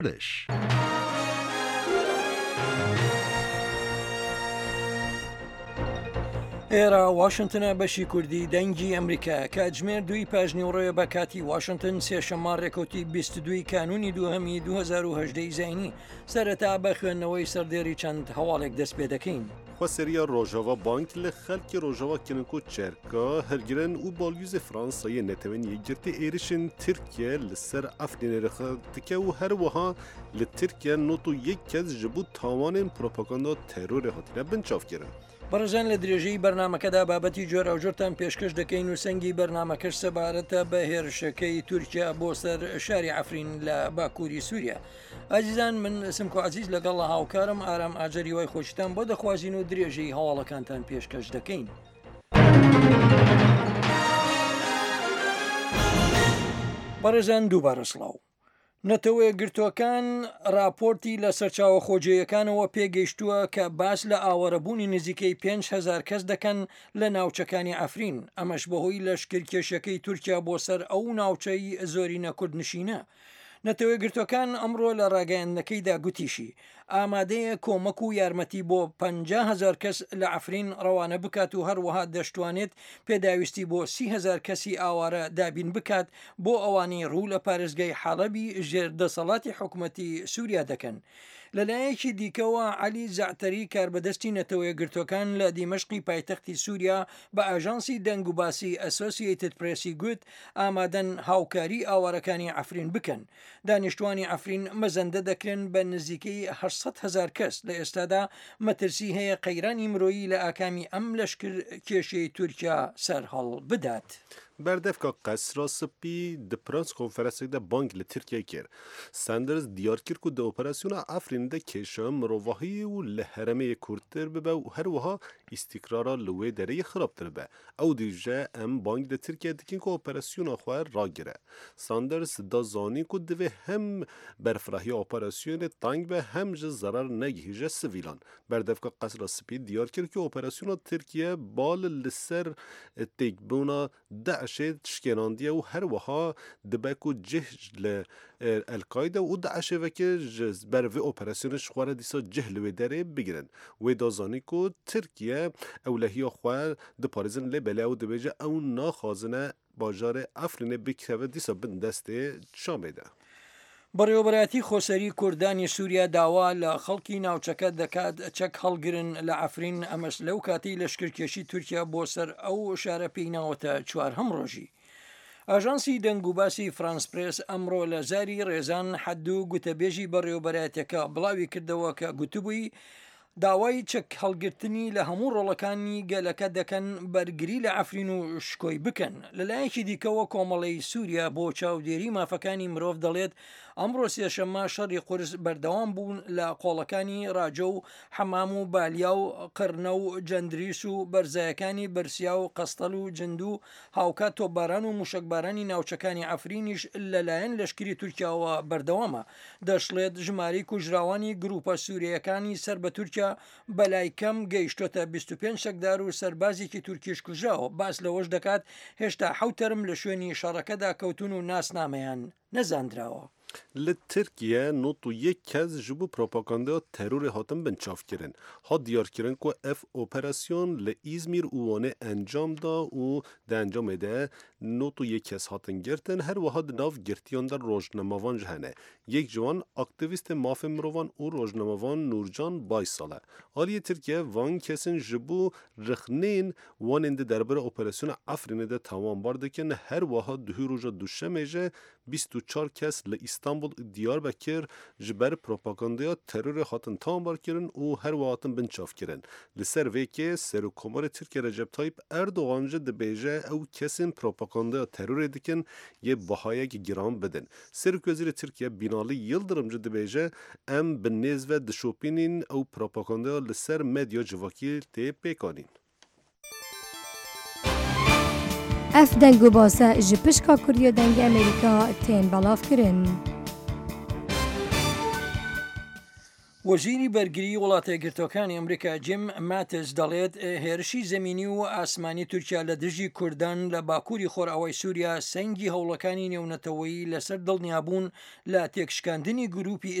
Kurdish. ئێرە واشنتنە بەشی کوردی دەنگی ئەمریکا کاتژمێر دووی پاژنیوڕێ بە کاتی واشنتن سێشەممە ڕێکەوتی 22 کانونی دووهەمی 2010 زینی سەرەتا بە خوێندنەوەی سەردێری چەند هەواڵێک دەست پێ دەکەین. Xweseriya Rojava bang li xelkê Rojava kirin ku çerka hilgirin û balyozê Fransa yê Neteweyên Yekgirtî êrişên Tirkiye li ser Efrînê rexne dike û her wiha li Tirkiye 91 kes ji bo tawanên propaganda terorê hatine binçavkirin. بەڕێزان لە درێژەی بەرنامەکەدا بابەتی جۆراوجۆرتان پێشکەش دەکەین و سەنگی بەرنامەکەش سەبارەتە بە هێرشەکەی تورکیا بۆ سەر شاری عەفرین لە باکووری سووریا. ئازیزان من سمکۆ عەزیز لەگەڵ هاوکارم ئارام ئاجەر هیوای خۆشیتان بۆ دەخوازین و درێژەی هەواڵەکانتان پێشکەش دەکەین. بەڕێزان دووبارە سڵاو. نەتەوەیەکگرتووەکان راپۆرتی لە سەرچاوە خۆجێیەکانەوە پێگەیشتووە کە باس لە ئاوارەبوونی نزیکەی 5هزار کەس دەکەن لە ناوچەکانی عەفرین، ئەمەش بەهۆی لەشکرکێشیەکەی تورکیا بۆ سەر ئەو ناوچەی زۆرینە کوردنشینە. نەتەوەیەکگرتووەکان ئەمڕۆ لە ڕاگەیاندنەکەیدا گوتیشی، ئامادەیە کۆمەک و یارمەتی بۆ 50 هەزار کەس لە عەفرین ڕەوانە بکات و هەروەها دەشتوانێت پێداویستی بۆ 30 هەزار کەسی ئاوارە دابین بکات بۆ ئەوانەی ڕوو لە پارێزگای حەڵەبی ژێر دەسەڵاتی حکومەتی سوریا دەکەن. لەلایەکی دیکەوە عەلی زەعتەری کاربەدەستی نەتەوەیەکگرتووەکان لە دیمەشقی پایتەختی سوریا بە ئاژانسی دەنگوباسی ئەسۆسیەیتد پرێسی گوت، ئامادەن هاوکاری ئاوارەکانی عەفرین بکەن. دانیشتوانی عەفرین مەزەندە دەکرێن بە نزیکەی 800 هەزار کەس، لە ئێستادا مەترسی هەیە قەیرانی مرۆیی لە ئاکامی ئەم لەشکرکێشیەی تورکیا سەرهەڵبدات. Berdevka Qesra Spî di press konferensek de bang li Tirkiyeyê kir. Sanders diyar kir ku di operasyona Efrînê de kêşa mirovahiyê û li herêmê yê kûrtir bibe û her wiha îstîkrara li wê derê yê xirabtir bibe. Ew dibêje em bang li Tirkiyeyê dikin ku operasyona xwe ragire. Sanders da zanîn ku divê hem berfirahiya operasyonê teng be hem ji zerar negihîje sivîlan. Berdevka Qesra Spî diyar kir ku operasyona Tirkiye bal li ser têkbûna DAIŞ'ê şikênandiye û her wiha dibe ku cih li El Kaîde û DAIŞ'ê veke ji ber vê operasyonê ji xwe re dîsa cih li wê derê bigirin. Wê da zanîn ku Tirkiye ewlehiya xwe diparêzin lê belê ew dibêje ew naxwazine bajarê Efrînê bikeve dîsa bin destê Şamê de. بەڕێوەبەرایەتی خۆسەری کوردانی سووریا داوا لە خەڵکی ناوچەکە دەکات چەک هەڵگرن لە عەفرین، ئەمەش لەو کاتەی لەشکرکێشی تورکیا بۆ سەر ئەو شارە پێی ناوەتە چوارهەم ڕۆژی. ئاژانسی دەنگوباسی فرانس پرێس ئەمڕۆ لە زاری ڕێزان حەدو گوتەبێژی بەڕێوەبەرایەتیەکە بڵاوی کردەوە کە گوتبووی داوای چەک هەڵگرتنی لە هەموو ڕۆڵەکانی گەلەکە دەکەن بەرگری لە عەفرین و شکۆی بکەن. لەلایەکی دیکەوە کۆمەڵەی سووریا بۆ چاودێری مافەکانی مرۆڤ دەڵێت ئەمڕۆ سێشەممە شەڕی قورس بەردەوام بوون لە قۆڵەکانی ڕاجە و حەمام و بالیا و قرنە و جەندریس و بەرزایەکانی بەرسیا و قەستەل و جندو هاوکات تۆپباران و موشەکبارانی ناوچەکانی عەفرینیش لەلایەن لەشکری تورکیاوە بەردەوامە. دەشڵێت، ژمارەی کوژراوانی گروپە سورییەکانی سەر بە تورکیا بەلای کەم گەیشتۆتە 25 چەکدار و سەربازێکی تورکیش کوژراوە، باس لەوەش دەکات هێشتا حەوت تەرم لە شوێنی شەڕەکەدا کەوتوون و ناسنامەیان نەزاندراوە. Li Tirkiye 91 kes ji bo propagandaya terorê hatin binçavkirin. Hat diyarkirin ku ev operasyon li Îzmîr û Wanê encam da û di encamê de 91 kes hatin girtin, her wiha di nav girtiyan de rojnamevan jî hene. Yek ji wan aktîvîstê mafên mirovan û rojnamevan Nurcan Baysal e. Aliyê Tirkiye van kesên ji bo rixneyên wan ên di derbara operasyona Efrînê de tawanbar dikin, her wiha duhî roja duşemê ji 24 kes li Îstanbul û Diyarbekir ji ber propagandaya terorê hatin tawanbarkirin û her wiha hatin binçavkirin. Li ser vê kê Serokkomarê Tirkiye Recep Tayyip Erdogan jî dibêje ew kesên propagandaya terorê dikin yê bihayek giran bidin. Serokwezîrê Tirkiye Bînalî Yildirim jî dibêje em bi nêz ve dişopînîn ew propagandaya li ser medya civakî tê pêkanîn. Ev deng û base ji pişka Kurdî ya Dengê Amerîka tên belavkirin. وەزیری بەرگریی وڵاتەیەکگرتووەکانی ئەمریکا جیم ماتس دەڵێت هێرشی زەمینی و ئاسمانی تورکیا لە دژی کوردان لە باکووری خۆرئاوای سووریا سەنگی هەوڵەکانی نێونەتەوەیی لەسەر دڵنیابوون لە تێکشکاندنی گرووپی.